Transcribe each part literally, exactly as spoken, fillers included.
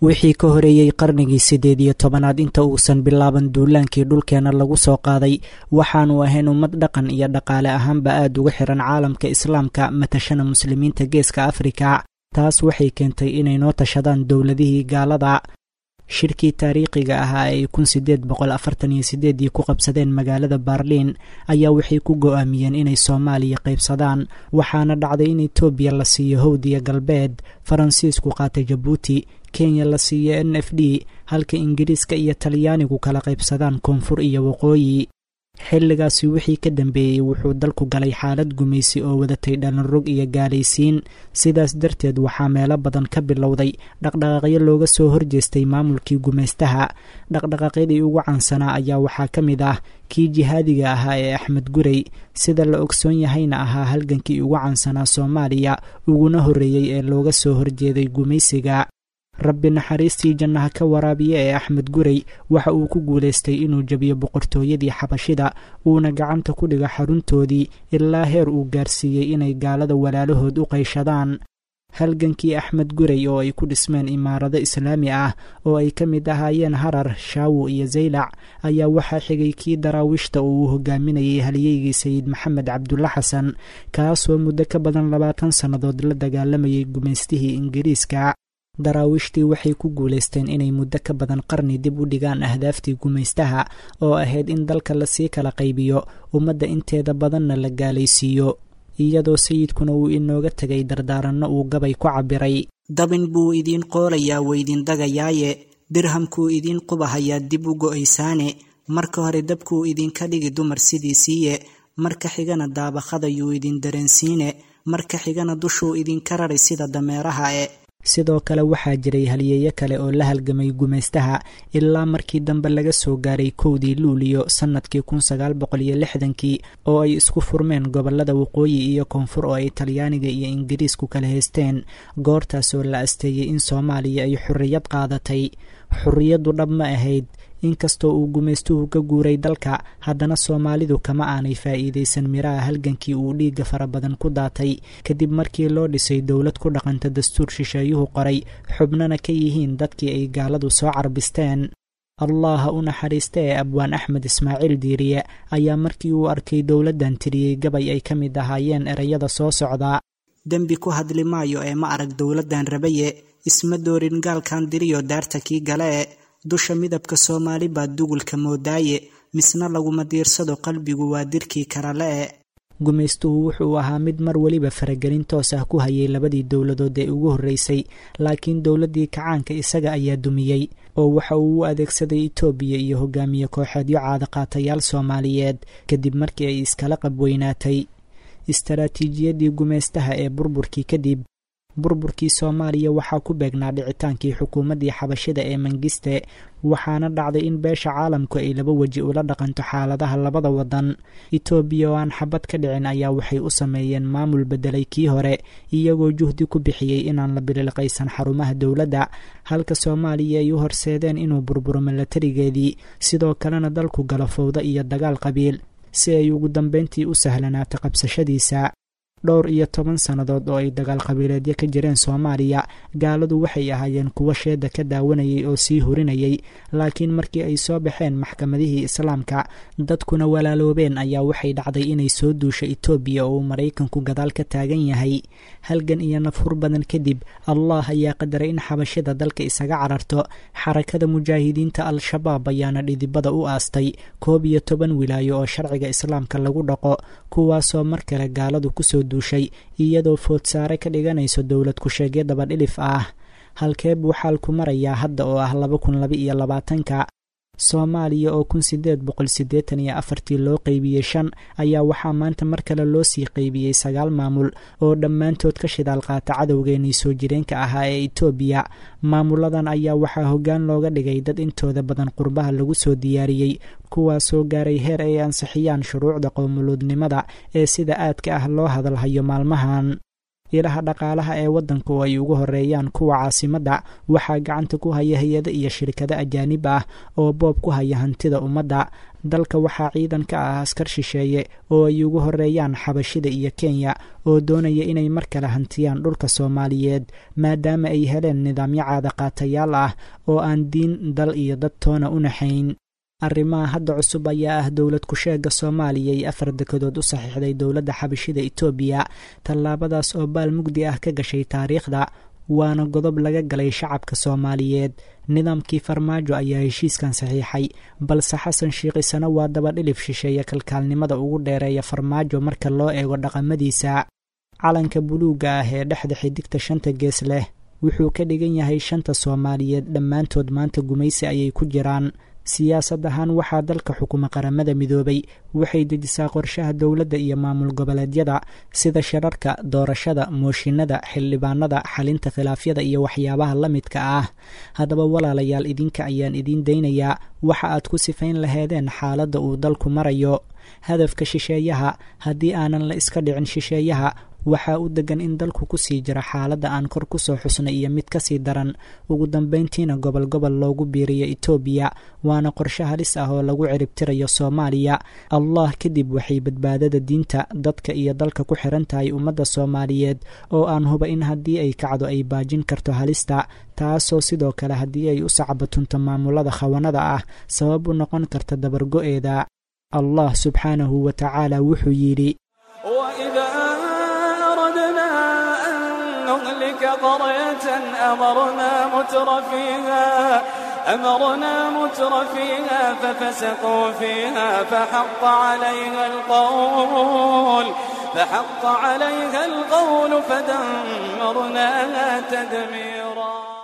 Wixii ka horeeyey qarnigii siddeed iyo tobanaad inta uusan bilaaban duulaankii dhulkeena lagu soo qaaday, waxaanu ahayn ummad dhaqan iyo dhaqaale ahaanba aad uga xiran caalamka islaamka, matashana muslimiinta geeska Afrika. Taas waxay keentay inay noo tashadaan dowladihii gaalada. Shirkii taariikhiga ahaa ee ay kun sideed boqol afartan iyo sideedii ku qabsadeen magaalada Baarliin ayaa waxay ku go-aamiyeen inay Soomaaliya qaybsadaan, waxaana dhacday in Itoobiya la siiyo Howdiya Galbeed, Faransiisku qaatay Jabuuti, Kenya la siiyo N F D, halka Ingiriiska iyo Talyaanigu kala qaybsadaan koonfur iyo waqooyi. Xilligaasi wixii ka dambeeyey wuxuu dalku galay xaalad gumaysi oo wadatay dhalinrog iyo gaalaysiin. Sidaas darteed waxaa meelo badan ka bilowday dhaqdhaqaaqyo looga soo horjeestay maamulkii gumaystaha. Dhaqdhaqaaqyadii ugu caansanaa ayaa waxaa ka mid ah kii jihaadiga ahaa ee Axmed Gurey, sida la ogsoon yahayna ahaa halgankii ugu caansanaa Soomaaliya uguna horreeyey ee looga soo horjeeday gumaysiga. Rabbi naxariistii jannaha ka waraabiya ee Axmed Gurey waxa uu ku guulaystay inuu jabiyo boqortooyadii Xabashida, uuna gacanta ku dhigo xaruntoodii, ilaa heer uu gaarsiiyey inay gaalada walaalahood u qayshadaan. Halgankii Axmed Gurey oo ay ku dhismeen imaarado islaami ah oo ay ka mid ahaayeen Harar, Shaawo iyo Zaylac ayaa waxaa xigay kii Daraawiishta oo uu hogaaminayay halyeygii Sayid Maxamed Cabdulla Xasan, kaasoo muddo ka badan labaatan sannadood la dagaalamayay gumaystihii Ingiriiska. Daraawiishtii waxay ku guulaysteen inay muddo ka badan qarni dib u dhigaan ahdaaftii gumaystaha oo ahayd in dalka lasii kala qaybiyo, ummadda inteeda badanna la gaalaysiiyo, iyadoo sayidkuna uu inooga tegay dardaaranno uu gabay ku cabbiray. Dabin buu idiin qoolayaa weydin dagayaaye, dirhamkuu idiin qubahayaa dib u go'aysaane, marka hore dabkuu idinka dhigi dumar sidiisiiye, marka xigana daabaqadayuu idin dareensiine, marka xigana dushuu idinka rari sida dameeraha e. Sidoo kale waxaa jiray halyeeyo kale oo la halgamay gumaystaha ilaa markii dambe laga soo gaaray kowdii Luuliyo sannadkii kun sagaal boqol iyo lixdankii oo ay isku furmeen gobollada waqooyi iyo koonfur oo ay Talyaaniga iyo Ingiriisku kala haysteen, goortaasoo la asteeyey in Soomaaliya ay xorriyad qaadatay. Xorriyaddu dhab ma ahayd. Inkastoo uu gumaystuhu ka guuray dalka, haddana Soomaalidu kama aanay faa'iidaysan miraha halgankii uu dhiigga fara badan ku daatay, kadib markii loo dhisay dowlad ku dhaqanta dastuur shisheeyuhu qoray, xubnana ka yihiin dadkii ay gaaladu soo carbisteen. Allaha u naxariista ee Abwaan Axmed Ismaaciil Diiriye ayaa markii uu arkay dowladdan tiriyey gabay ay ka mid ahaayeen ereyada soo socda. Dembi ku hadli maayo ee ma arag dowladdan rabaye, isma doorin gaalkan diriyo daarta kii gale e, dusha midabka Soomaali baa dugulka moodaaye, misna laguma diirsado qalbigu waa dirkii karale e. Gumaystuhu wuxuu ahaa mid mar weliba faragelin toos ah ku hayay labadii dowladood ee ugu horreysay, laakiin dowladdii kacaanka isaga ayaa dumiyey oo waxa uu u adeegsaday Itoobiya iyo hogaamiye kooxeedyo caadaqaatayaal Soomaaliyeed kadib markii ay iskala qabweynaatay istaraatiijiyaddii gumaystaha ee burburkii kadib. Burburkii Soomaaliya waxaa ku beegnaa dhicitaankii xukuumaddii Xabashida ee Mangiste, waxaana dhacday in beesha caalamku ay laba weji ula dhaqanto xaaladaha labada waddan. Itoobiya oo aan xabad ka dhicin ayaa waxay u sameeyeen maamul beddelay kii hore, iyagoo juhdi ku bixiyey inaan la bililqaysan xarumaha dowladda, halka Soomaaliya ay u horseedeen inuu burburo milatarigeedii, sidoo kalena dalku galo fowdo iyo dagaal qabiil si ay ugu dambeyntii u sahlanaato qabsashadiisa. Dhowr iyo toban sannadood oo ay dagaal qabiileedyo ka jireen Soomaaliya, gaaladu waxay ahaayeen kuwo sheeda ka daawanayay oo sii hurinayay, laakiin markii ay soo baxeen maxkamadihii islaamka, dadkuna walaaloobeen, ayaa waxay dhacday inay soo duusho Itoobiya oo uu Maraykanku gadaal ka taagan yahay. Halgan iyo nafhur badan kadib, Allah ayaa qadaray in Xabashida dalka isaga cararto. Xarakada Mujaahidiinta Al-Shabaab ayaana dhidibada u aastay koob iyo toban wilaayo oo sharciga islaamka lagu dhaqo, kuwaasoo mar kale gaaladu kusoo duushay iyadoo foodsaare ka dhiganayso dowlad ku-sheegyo dabadhilif ah. Halkee buu xaalku marayaa hadda oo ah laba kun laba iyo labaatanka? Soomaaliya oo kun sideed boqol siddeetan iyo afartii loo qeybiyey shan ayaa waxaa maanta mar kale loo sii qeybiyey sagaal maamul oo dhammaantood ka shidaal qaata cadowgeenii soo jireenka ahaa ee Itoobiya. Maamuladan ayaa waxaa hoggaan looga dhigay dad intooda badan qurbaha lagu soo diyaariyey, kuwaasoo gaaray heer ay ansixiyaan shuruucda qowmuluudnimada ee sida aadka ah loo hadalhayo maalmahan. Ilaha dhaqaalaha ee waddanka oo ay ugu horeeyaan kuwa caasimadda waxaa gacanta ku haya hay-ado iyo shirkado ajaanib ah oo boob ku haya hantida ummadda. Dalka waxaa ciidan ka ah askar shisheeye oo ay ugu horeeyaan Xabashida iyo Kenya oo doonaya inay mar kale hantiyaan dhulka Soomaaliyeed, maadaama ay heleen nidaamyo caadaqaatayaal ah oo aan diin, dal iyo dad toona u naxayn. Arrimaha hadda cusub ayaa ah dowlad ku-sheega Soomaaliya ay afar dekedood u saxiixday dowladda Xabashida Itoobiya, tallaabadaas oo baal mugdi ah ka gashay taariikhda, waana godob laga galay shacabka Soomaaliyeed. Nidaamkii Farmaajo ayaa heshiiskan saxiixay, balse Xasan Sheikh isana waa daba dhilif shisheeye kalkaalnimada ugu dheereeya Farmaajo marka loo eego dhaqamadiisa. Calanka buluugga ah ee dhexda xidigta shanta gees leh wuxuu ka dhigan yahay shanta Soomaaliyeed dhammaantood maanta gumaysi ayay ku jiraan. Siyaasad ahaan waxaa dalka xukuma Qaramada Midoobay, waxay dejisaa qorshaha dowladda iyo maamul goboleedyada sida shirarka, doorashada, mooshinada, xildhibaanada, xalinta khilaafyada iyo waxyaabaha la midka ah. Haddaba walaalayaal, idinka ayaan idiin daynayaa waxa aad ku sifayn laheedeen xaaladda uu dalku marayo. Hadafka shisheeyaha, haddii aanan la iska dhicin shisheeyaha, waxaa u degan in dalku kusii jira xaaladda aan kor kusoo xusnay iyo mid kasii daran, ugu dambeyntiina gobol gobol loogu biiriyo Itoobiya, waana qorshe halis ah oo lagu ciribtirayo Soomaaliya. Allah kadib waxay badbaadada diinta, dadka iyo dalka ku xiran tahay ummadda Soomaaliyeed oo aan huba in haddii ay kacdo ay baajin karto halista, taasoo sidoo kale haddii ay u sacbatunto maamulada khawanada ah sabab u noqon karta dabargo'eeda. Allah subxaanahu wa tacaala wuxuu yidhi: نهلك قرية أمرنا متر فيها أمرنا متر فيها ففسقوا فيها فحق عليها القول فحق عليها القول فدمرناها تدميرا.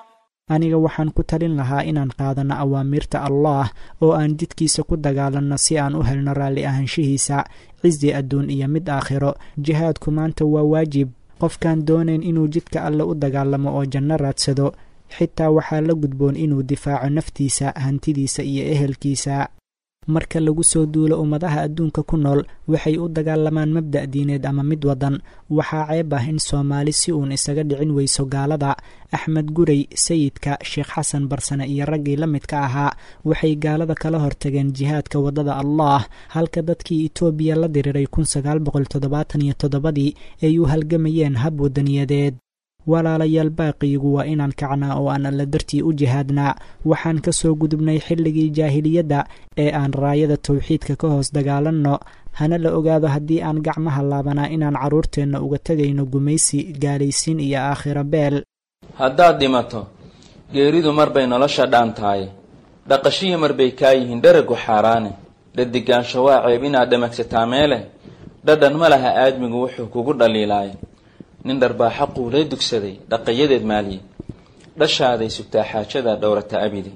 Aniga waxaan ku talin lahaa inaan qaadano awaamiirta Allaah oo aan jidkiisa ku dagaalanno si aan u helno raalli ahaanshihiisa, cizi adduun iyo mid aakhiro. Jihaadku maanta waa waajib. Qofkaan doonayn inuu jidka Alle u dagaalamo oo janno raadsado, xitaa waxaa la gudboon inuu difaaco naftiisa, hantidiisa iyo ehelkiisa. Marka lagu soo duulo ummadaha adduunka ku nool waxay u dagaalamaan mabda' diineed ama mid wadan. Waxaa ceeb ah in Soomaali si uun isaga dhicin weyso gaalada. Axmed Gurey, Sayidka, Sheekh Xasan Barsane iyo raggii la midka ahaa waxay gaalada kala hortageen jihaadka waddada Allaah, halka dadkii Itoobiya la diriiray kun sagaal boqol toddobaatan iyo toddobadii ay u halgamayeen hab wadaniyadeed. Walaalayaal, baaqiigu waa inaan kacnaa oo aan Alla dartii u jihaadnaa. Waxaan ka soo gudubnay xilligii jaahiliyadda ee aan raayada tawxiidka ka hoos dagaalanno, hana la ogaado haddii aan gacmaha laabanaa inaan carruurteenna uga tegayno gumaysi, gaalaysiin iyo aakhiro beel. Haddaad dhimato, geeridu mar bay nolosha dhaantahay, dhaqashihii mar bay kaa yihiin dheragu xaaraane, dhadigaansho waa ceeb inaad dhamagsataa meele, dhadhan ma laha aadmigu wuxuu kugu dhaliilaay. Nin dharbaaxa quulay dugsaday dhaqayadeed maaliye, dhashaaday sugtaa xaajadaa dhowrata abidi.